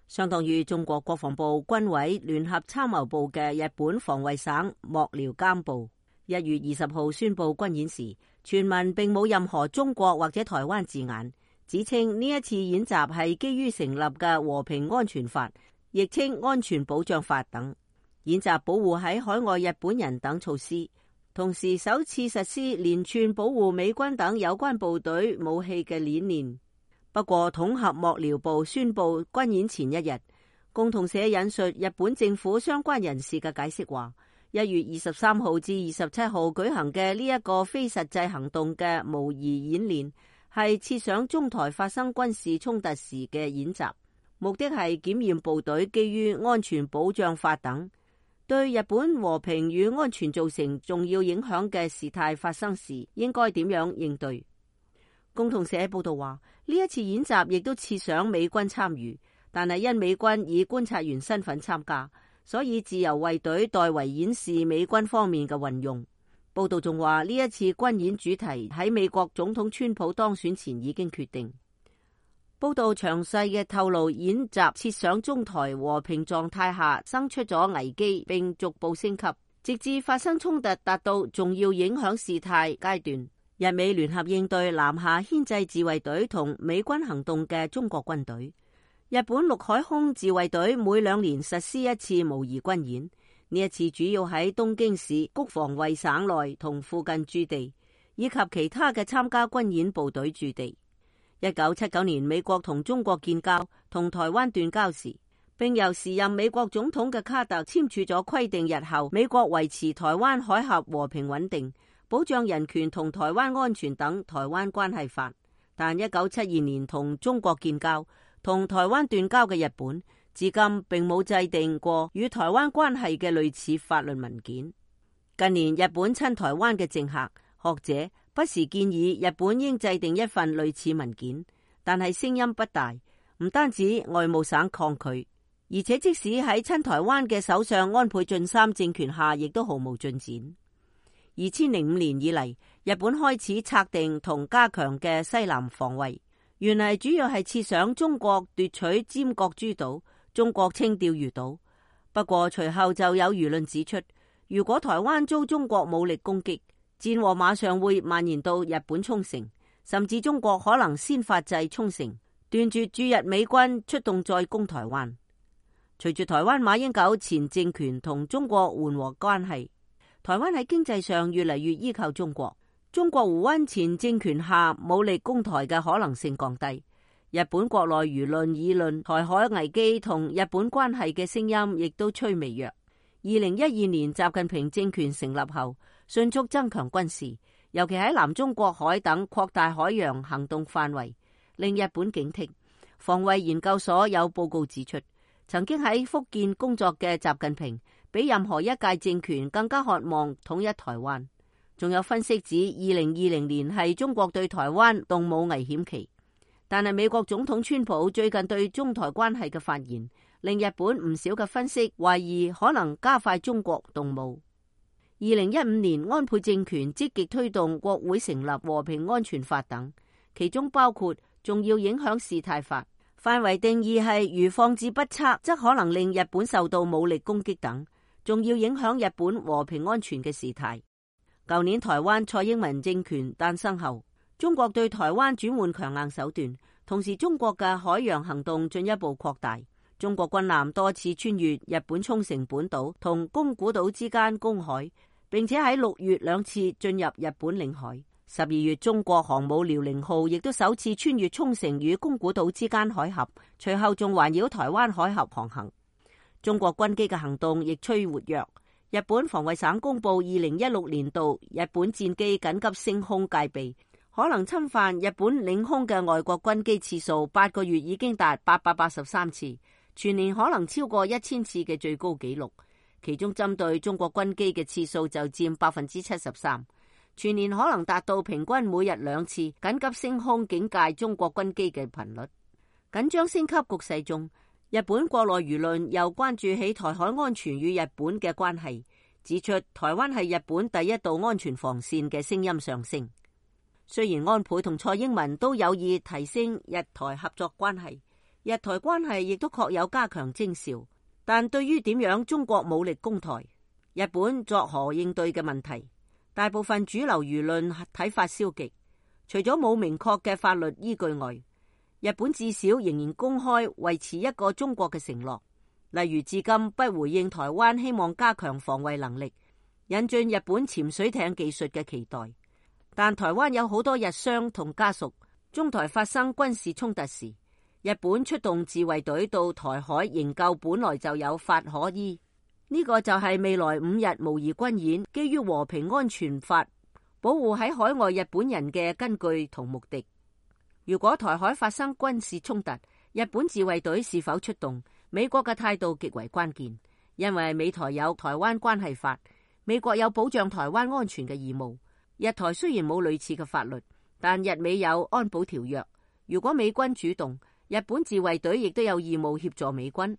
相當於中國國防部軍委聯合參謀部嘅日本防衛省幕僚監部1月20號宣布軍演時，全文並冇任何中國或者台灣字眼，指稱呢一次演習係基於成立嘅和平安全法，亦稱安全保障法等，演習保護喺海外日本人等措施，同時首次實施連串保護美軍等有關部隊武器嘅理念。不過統合幕僚部宣布軍演前一日，共同社引述日本政府相關人士嘅解釋話，1月23號至27號舉行嘅呢一個非實際行動嘅模擬演練，係設想中台發生軍事衝突時嘅演習，目的係檢驗部隊基於安全保障法等對日本和平與安全造成重要影響嘅事態發生時應該點樣應對。共同社報道話，呢一次演習亦都設想美軍參與，但係因美軍以觀察員身份參加，所以自由衛隊代為演示美軍方面嘅運用。報道仲話，呢一次軍演主題喺美國總統川普當選前已經決定。報道詳細嘅透露，演習設想中台和平狀態下生出咗危機，並逐步升級，直至發生衝突達到重要影響事態階段。日美聯合應對南下牽制自衛隊同美軍行動嘅中國軍隊。日本陸海空自衛隊每2年實施一次模擬軍演，呢一次主要喺東京市谷防衛省內同附近駐地，以及其他嘅參加軍演部隊駐地。1979年美國同中國建交，同台灣斷交時，並由時任美國總統嘅卡特簽署咗規定日後美國維持台灣海峽和平穩定、保障人權同台灣安全等台灣關係法。但1972年同中國建交、同台灣斷交嘅日本，至今並冇制定過與台灣關係嘅類似法律文件。近年日本親台灣嘅政客、學者不時建議日本應制定一份類似文件，但係聲音不大，唔單止外務省抗拒，而且即使喺親台灣嘅首相安倍晉三政權下，亦都毫無進展。2005年以嚟，日本開始策定同加強嘅西南防衛，原嚟主要係設想中國奪取尖閣諸島、中國稱釣魚島。不過隨後就有輿論指出，如果台灣遭中國武力攻擊，戰禍馬上會蔓延到日本沖繩，甚至中國可能先發制沖繩，斷絕駐日美軍出動再攻台灣。隨住台灣馬英九前政權同中國緩和關係，台灣喺經濟上越嚟越依靠中國。中國胡溫前政權下武力攻台嘅可能性降低。日本國內輿論議論台海危機同日本關係嘅聲音亦都趨微弱。2012年習近平政權成立後，迅速增強軍事，尤其喺南中國海等擴大海洋行動範圍，令日本警惕。防衛研究所有報告指出，曾經喺福建工作嘅習近平比任何一屆政權更加渴望統一台灣。仲有分析指2020年係中國對台灣動武危險期，但係美國總統川普最近對中台關係嘅發言，令日本唔少嘅分析懷疑可能加快中國動武。2015年安倍政權積極推動國會成立和平安全法等，其中包括重要影響事態法，範圍定義係如放置不測則可能令日本受到武力攻擊等，重要影響日本和平安全嘅事態。舊年台灣蔡英文政權誕生後，中國對台灣轉換強硬手段，同時中國嘅海洋行動進一步擴大。中國軍艦多次穿越日本沖繩本島同宮古島之間公海，並且喺6月2次進入日本領海。12月，中國航母遼寧號亦都首次穿越沖繩與宮古島之間海峽，隨後仲環繞台灣海峽航行。中國軍機嘅行動亦趨活躍。日本防衛省公布2016年度日本戰機緊急升空戒備，可能侵犯日本領空嘅外國軍機次數8個月已經達883次，全年可能超過1000次嘅最高紀錄。其中針對中國軍機嘅次數就佔73%，全年可能達到平均每日2次緊急升空警戒中國軍機嘅頻率。緊張升級局勢中，日本國內輿論又關注起台海安全與日本嘅關係，指出台灣係日本第一道安全防線嘅聲音上升。雖然安倍同蔡英文都有意提升日台合作關係，日台關係亦都確有加強徵兆。但對於點樣中國武力攻台，日本作何應對嘅問題，大部分主流輿論睇法消極。除咗冇明確嘅法律依據外，日本至少仍然公開維持一個中國嘅承諾，例如至今不回應台灣希望加強防衛能力、引進日本潛水艇技術嘅期待。但台灣有好多日商同家屬，中台發生軍事衝突時，日本出動自衛隊到台海營救本來就有法可依。呢個就係未來5日模擬軍演基於和平安全法保護喺海外日本人嘅根據同目的。如果台海發生軍事衝突，日本自衛隊是否出動，美國嘅態度極為關鍵，因為美台有台灣關係法，美國有保障台灣安全嘅義務。日台雖然冇類似嘅法律，但日美有安保條約。如果美軍主動，日本自衛隊亦都有義務協助美軍。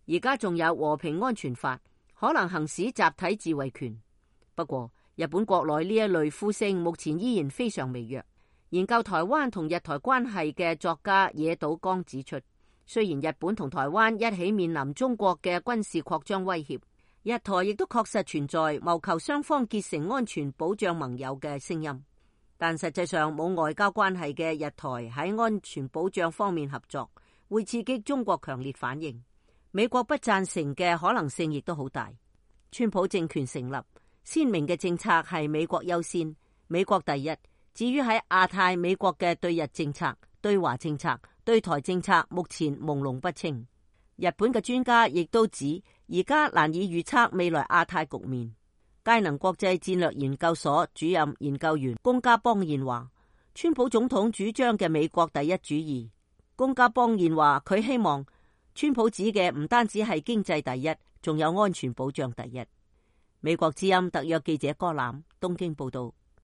而家仲有和平安全法，可能行使集體自衛權。不過，日本國內呢一類呼聲目前依然非常微弱。研究台灣同日台關係嘅作家野島剛指出，雖然日本同台灣一起面臨中國嘅軍事擴張威脅，日台亦都確實存在謀求雙方結成安全保障盟友嘅聲音，但實際上冇外交關係嘅日台喺安全保障方面合作，會刺激中國強烈反應。美國不贊成嘅可能性亦都好大。川普政權成立，鮮明嘅政策係美國優先，美國第一。至於喺亞太，美國嘅對日政策、對華政策、對台政策目前朦朧不清。日本嘅專家亦都指，而家難以預測未來亞太局面。佳能國際戰略研究所主任研究員宮家邦彥話，川普總統主張嘅美國第一主義。宮家邦彥話，佢希望川普指嘅唔單止係經濟第一，仲有安全保障第一。美國之音特約記者柯攬東京報道。